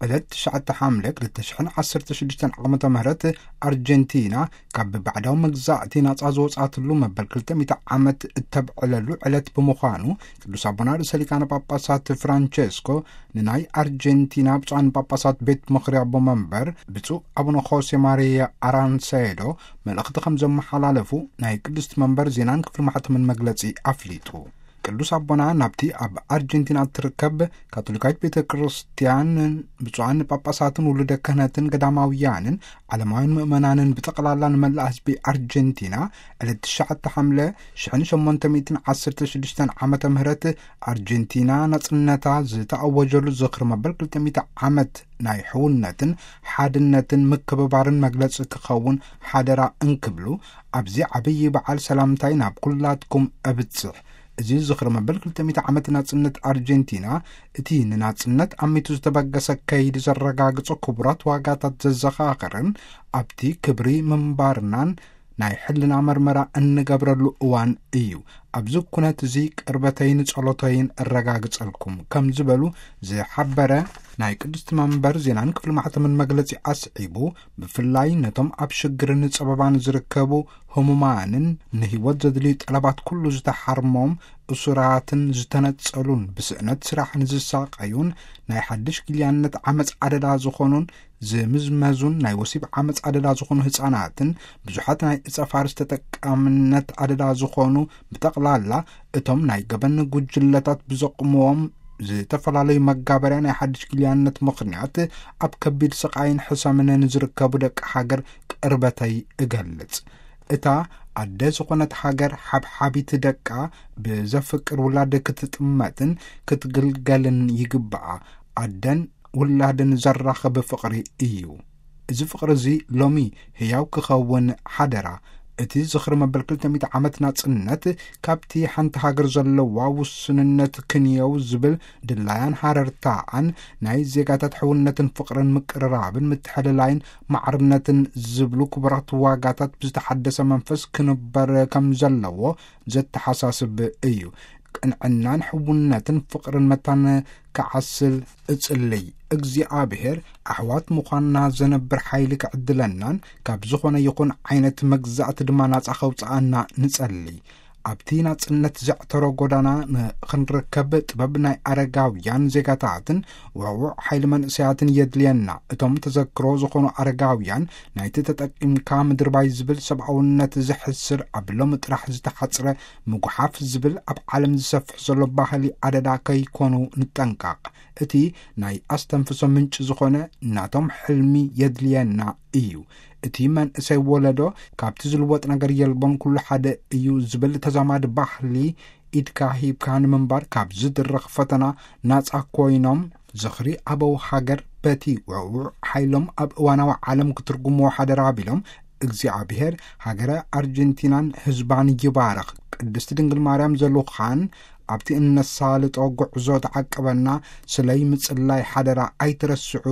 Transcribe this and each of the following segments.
ዕለት ትሽዓተ ሓምለ ክልተ ሽሕን ዓሰርተ ሽዱሽተን ዓመተ ምህረት ኣርጀንቲና ካብ ባዕዳዊ መግዛእቲ ናጻ ዝወጻትሉ መበል ክልተ ሚእቲ ዓመት እተብዕለሉ ዕለት ብምዃኑ፣ ቅዱስ ኣቦና ርእሰ ሊቃነ ጳጳሳት ፍራንቸስኮ ንናይ ኣርጀንቲና ብፁዓን ጳጳሳት ቤት ምኽሪ ኣቦ መንበር ብፁዕ ኣቡነ ሆሴ ማሪያ ኣራንሴዶ መልእኽቲ ከም ዘመሓላለፉ ናይ ቅድስቲ መንበር ዜናን ክፍሊ ማሕተምን መግለጺ ኣፍሊጡ። ቅዱስ ኣቦና ናብቲ ኣብ ኣርጀንቲና እትርከብ ካቶሊካዊት ቤተ ክርስቲያን ብፁዓን ጳጳሳትን ውሉደ ክህነትን ገዳማውያንን ዓለማውያን ምእመናንን ብጠቕላላ ንመላእ ህዝቢ ኣርጀንቲና ዕለት ትሽዓተ ሓምለ ሽሕን ሸሞንተ ሚእትን ዓሰርተ ሽዱሽተን ዓመተ ምህረት ኣርጀንቲና ናጽነታ ዝተኣወጀሉ ዝኽሪ መበል ክልተ ሚእቲ ዓመት ናይ ሕውነትን ሓድነትን ምክብባርን መግለጺ ክኸውን ሓደራ እንክብሉ፣ ኣብዚ ዓብዪ በዓል ሰላምታይ ናብ ኩላትኩም እብጽሕ። እዚ ዝኽሪ መበል ክልተ ሚእቲ ዓመት ናጽነት ኣርጀንቲና፣ እቲ ንናጽነት ኣሚቱ ዝተበገሰ ከይዲ ዘረጋግጾ ክቡራት ዋጋታት ዘዘኻኽርን ኣብቲ ክብሪ ምንባርናን ናይ ሕልና መርመራ እንገብረሉ እዋን እዩ። ኣብዚ ኩነት እዚ ቅርበተይን ጸሎተይን እረጋግጸልኩም ከም ዝበሉ ዝሓበረ ናይ ቅድስቲ መንበር ዜናን ክፍሊ ማሕተምን መግለጺ ኣስዒቡ፣ ብፍላይ ነቶም ኣብ ሽግርን ጸበባን ዝርከቡ ህሙማንን ንህይወት ዘድልዩ ጠለባት ኩሉ ዝተሓርሞም እሱራትን ዝተነጸሉን ብስእነት ስራሕ ንዝሳቀዩን ናይ ሓድሽ ጊልያነት ዓመፅ ኣደዳ ዝኾኑን ዝምዝመዙን ናይ ወሲብ ዓመፅ ኣደዳ ዝኾኑ ህፃናትን ብዙሓት ናይ እፀ ፋርስ ተጠቃምነት ኣደዳ ዝኾኑ ብጠቕላላ እቶም ናይ ገበን ጉጅለታት ብዘቕምዎም ዝተፈላለዩ መጋበርያ ናይ ሓድሽ ጊልያነት ምኽንያት ኣብ ከቢድ ስቓይን ሕሰምን ንዝርከቡ ደቂ ሃገር ቅርበተይ እገልጽ። እታ ኣደ ዝኾነት ሃገር ሓብሓቢት ደቃ ብዘፍቅር ውላድ ክትጥመትን ክትግልገልን ይግብኣ። ኣደን ውላድን ዘራኽብ ፍቕሪ እዩ። እዚ ፍቕሪ እዚ ሎሚ ህያው ክኸውን ሓደራ። እቲ ዝኽሪ መበል ክልተ ሚእቲ ዓመት ናጽነት ካብቲ ሓንቲ ሃገር ዘለዋ ውስንነት ክንየው ዝብል ድላያን ሃረርታኣን ናይ ዜጋታት ሕውነትን ፍቕርን ምቅርራብን ምትሕልላይን ማዕርነትን ዝብሉ ክቡራት ዋጋታት ብዝተሓደሰ መንፈስ ክንበር ከም ዘለዎ ዘተሓሳስብ እዩ። ቅንዕናን ሕውነትን ፍቕርን መታን ክዓስል እጽልይ። እግዚኣብሔር ኣሕዋት ምዃንና ዘነብር ሓይሊ ክዕድለናን ካብ ዝኾነ ይኹን ዓይነት መግዛእቲ ድማ ናጻ ከውጽኣና ንጸልይ። ኣብቲ ናጽነት ዘዕተሮ ጎዳና ንኽንርከብ ጥበብ ናይ ኣረጋውያን ዜጋታትን ውዕዉዕ ሓይሊ መንእሰያትን የድልየና። እቶም ተዘክሮ ዝኾኑ ኣረጋውያን ናይቲ ተጠቂምካ ምድርባይ ዝብል ሰብኣውነት ዘሕስር ኣብ ሎሚ ጥራሕ ዝተሓጽረ ምጉሓፍ ዝብል ኣብ ዓለም ዝሰፍሕ ዘሎ ባህሊ ኣደዳ ከይኮኑ ንጠንቀቕ። እቲ ናይ ኣስተንፍሶ ምንጪ ዝኾነ ናቶም ሕልሚ የድልየና እዩ። እቲ መንእሰይ ወለዶ ካብቲ ዝልወጥ ነገር የልቦን፣ ኩሉ ሓደ እዩ ዝብል ተዛማዲ ባህሊ ኢድካ ሂብካ ንምንባር ካብ ዝድረኽ ፈተና ናጻ ኮይኖም ዝኽሪ ኣበው ሃገር በቲ ውዕዉዕ ሓይሎም ኣብ እዋናዊ ዓለም ክትርጉምዎ ሓደራ ኣቢሎም፣ እግዚኣብሔር ሃገረ ኣርጀንቲናን ህዝባን ይባርኽ። ቅድስቲ ድንግል ማርያም ዘልኻን ኣብቲ እነሳልጦ ጉዕዞ ተዓቀበና፣ ስለይ ምጽላይ ሓደራ ኣይትረስዑ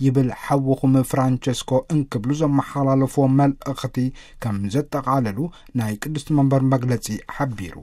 ይብል ሓውኹም ፍራንቸስኮ እንክብሉ ዘመሓላለፍዎ መልእኽቲ ከም ዘጠቓለሉ ናይ ቅድስቲ መንበር መግለጺ ሓቢሩ።